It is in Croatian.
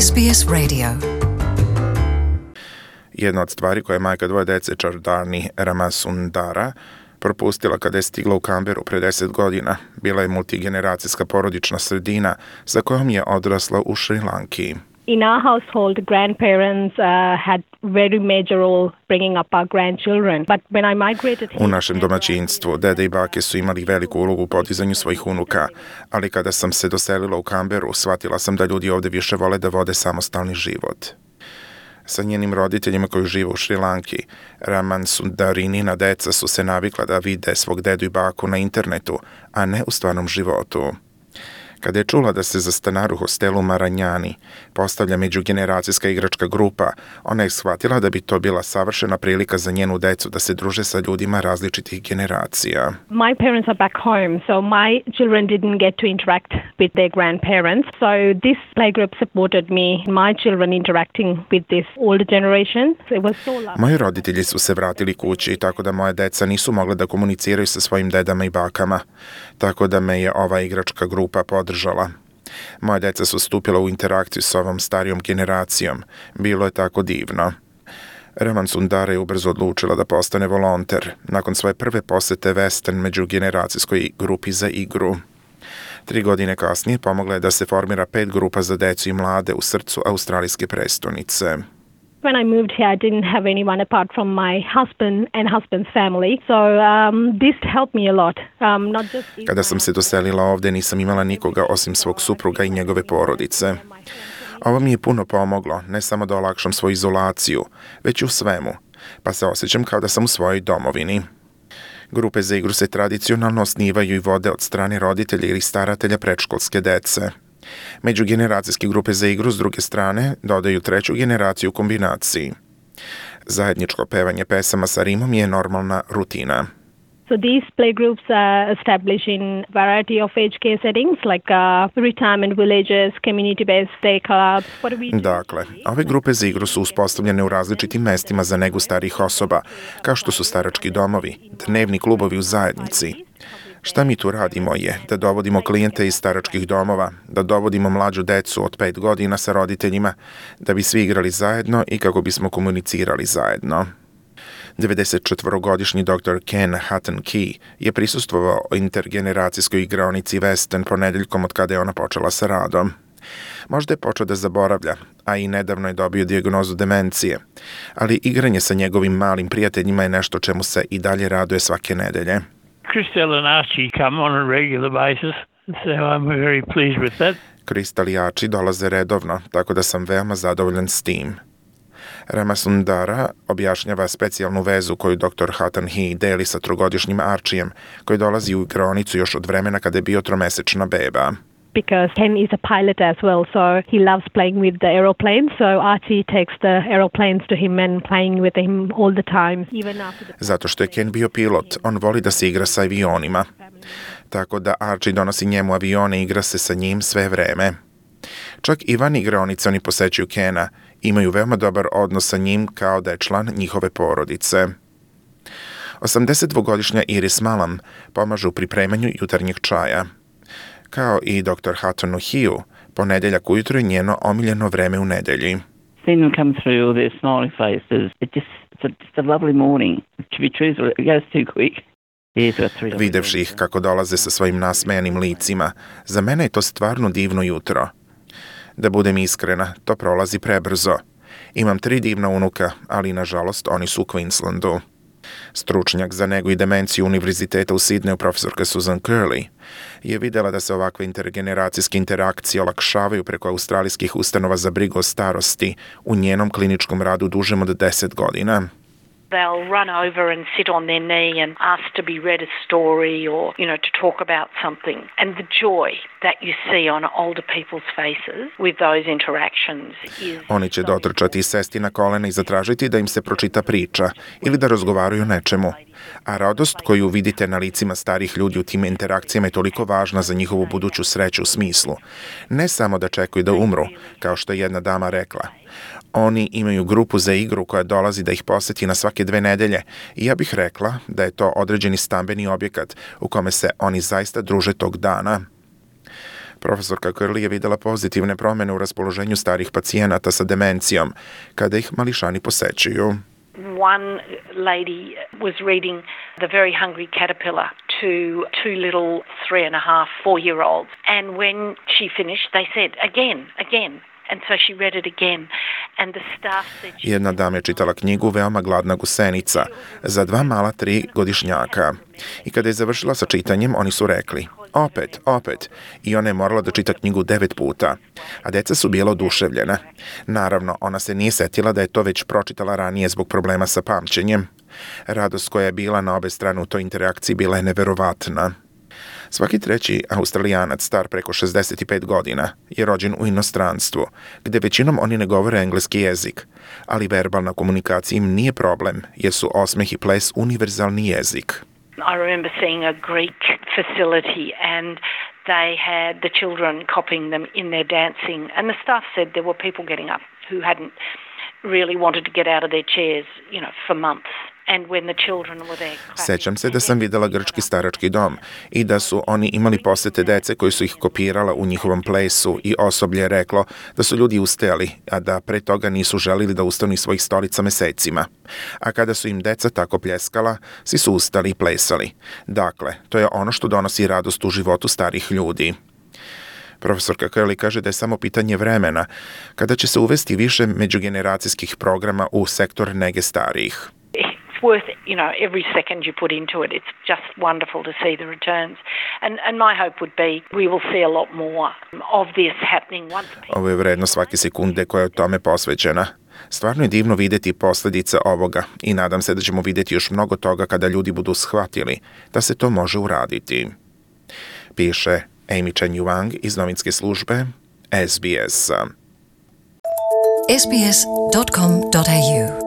SBS Radio. Jedna od stvari koje je majka dvoje dece Chardani Ramasundara propustila kada je stigla u Canberru pre 10 godina, bila je multigeneracijska porodična sredina sa kojom je odrasla u Šrilanki. In our household, grandparents had very major role bringing up our grandchildren. But when I migrated U našem domaćinstvu, dede i bake su imali veliku ulogu u podizanju svojih unuka, ali kada sam se doselila u Canberru, shvatila sam da ljudi ovde više vole da vode samostalni život. Sa njenim roditeljima koji žive u Šrilanki, Ramansundarinina deca su se navikla da vide svog dedu i baku na internetu, a ne u stvarnom životu. Kada je čula da se za stanar u hostelu Maranjani postavlja međugeneracijska igračka grupa, ona je shvatila da bi to bila savršena prilika za njenu decu da se druže sa ljudima različitih generacija. my parents are back home, so my children didn't get to interact with their grandparents. So this playgroup supported me, my children interacting with this older generation. So it was so lovely. Moji roditelji su se vratili kući, tako da moje deca nisu mogla da komuniciraju sa svojim dedama i bakama, tako da me je ova igračka grupa podržala. Moje deca su stupila u interakciju s ovom starijom generacijom. Bilo je tako divno. Ramansundara je ubrzo odlučila da postane volonter nakon svoje prve posete Western međugeneracijskoj grupi za igru. 3 godine kasnije pomogla je da se formira 5 grupa za decu i mlade u srcu australijske prestonice. When I moved here, I didn't have anyone apart from my husband and husband's family. So this helped me a lot. Not just Kada sam se doselila ovde, nisam imala nikoga osim svog supruga i njegove porodice. Ovo mi je puno pomoglo, ne samo da olakšam svoju izolaciju, već i u svemu, pa se osjećam kao da sam u svojoj domovini. Grupe za igru se tradicionalno osnivaju i vode od strane roditelja ili staratelja predškolske dece. Međugeneracijske grupe za igru s druge strane dodaju 3. generaciju u kombinaciji. Zajedničko pevanje pesama sa rimom je normalna rutina. So these playgroups are established in variety of age care settings like retirement villages, community-based day clubs. What do we do? Dakle, ove grupe za igru su uspostavljene u različitim mestima za negu starijih osoba, kao što su starački domovi, dnevni klubovi u zajednici. Šta mi tu radimo je da dovodimo klijente iz staračkih domova, da dovodimo mlađu decu od 5 godina sa roditeljima, da bi svi igrali zajedno i kako bismo komunicirali zajedno. 94-godišnji dr. Ken Hutton-Key je prisustvovao intergeneracijskoj igraonici Western ponedeljkom od kada je ona počela sa radom. Možda je počeo da zaboravlja, a i nedavno je dobio dijagnozu demencije, ali igranje sa njegovim malim prijateljima je nešto čemu se i dalje raduje svake nedelje. Crystal and Archie come on a regular basis, so I'm very pleased with that. Crystal i Archie dolaze redovno, tako da sam veoma zadovoljan s tim. Ramasundara objašnjava specijalnu vezu koju dr. Hutton-Key deli sa 3-godišnjim Archijem, koji dolazi u igraonicu još od vremena kada je bio 3-mesečna beba. Because Ken is a pilot as well, so he loves playing with the aeroplanes. So Archie takes the aeroplanes to him and playing with him all the time, even after the... Zato što je Ken bio pilot, on voli da se igra sa avionima. Tako da Archie donosi njemu avione i igra se sa njim sve vreme. Čak i van igraonice oni posećuju Kena, imaju veoma dobar odnos sa njim kao da je član njihove porodice. 82-godišnja Iris Malam pomaže u pripremanju jutarnjeg čaja. Kao i dr. Hutton-Key, ponedeljak ujutro je njeno omiljeno vreme u nedelji. Seeing them come through all their smiling faces, it's just a lovely morning. To be truthful, it goes too quick. Videvši ih kako dolaze sa svojim nasmejanim licima, za mene je to stvarno divno jutro. Da budem iskrena, to prolazi prebrzo. Imam 3 divna unuka, ali nažalost oni su u Queenslandu. Stručnjak za negu i demenciju Univerziteta u Sidneju, profesorka Susan Curley, je videla da se ovakve intergeneracijske interakcije olakšavaju preko australijskih ustanova za brigu o starosti u njenom kliničkom radu dužem od 10 godina. They'll run over and sit on their knee and ask to be read a story or, to talk about something. And the joy that you see on older people's faces with those interactions is... Oni će dotrčati i sesti na kolena i zatražiti da im se pročita priča ili da razgovaraju o nečemu. A radost koju vidite na licima starih ljudi u tim interakcijama je toliko važna za njihovu buduću sreću u smislu. Ne samo da čekaju da umru, kao što je jedna dama rekla. Oni imaju grupu za igru koja dolazi da ih poseti na svake 2 nedelje i ja bih rekla da je to određeni stambeni objekat u kome se oni zaista druže tog dana. Profesorka Curley je videla pozitivne promene u raspoloženju starih pacijenata sa demencijom, kada ih mališani posećuju. One lady was reading The Very Hungry Caterpillar to two little 3.5, 4-year-olds. And when she finished, they said, again. And so she read it again. And the staff said... Jedna dama je čitala knjigu Veoma gladna gusenica za 2 mala 3-godišnjaka. I kada je završila sa čitanjem, oni su rekli, opet. I ona je morala da čita knjigu 9 puta. A deca su bila oduševljena. Naravno, ona se nije setila da je to već pročitala ranije zbog problema sa pamćenjem. Radost koja je bila na obe strane u toj interakciji bila je neverovatna. Svaki treći Australijanac star preko 65 godina je rođen u inostranstvu, gde većinom oni ne govore engleski jezik, ali verbalna komunikacija im nije problem, jer su osmeh i ples univerzalni jezik. I remember seeing a Greek facility and they had the children copying them in their dancing, and the staff said there were people getting up who hadn't really wanted to get out of their chairs, for months. And when the children were there... Sećam se da sam videla grčki starački dom i da su oni imali posete dece koji su ih kopirala u njihovom plesu i osoblje je reklo da su ljudi ustajali, a da pre toga nisu želili da ustanu iz svojih stolica mesecima. A kada su im deca tako pljeskala, svi su ustali i plesali. Dakle, to je ono što donosi radost u životu starih ljudi. Profesorka Curley kaže da je samo pitanje vremena kada će se uvesti više međugeneracijskih programa u sektor nege starijih. Worth, every second you put into it. It's just wonderful to see the returns. And my hope would be we will see a lot more of this happening once people... Ovo je vredno svake sekunde koja je tome posvećena. Stvarno je divno vidjeti posljedice ovoga i nadam se da ćemo vidjeti još mnogo toga kada ljudi budu shvatili da se to može uraditi. Piše Amy Chen Yuang iz novinske službe SBS. SBS.com.au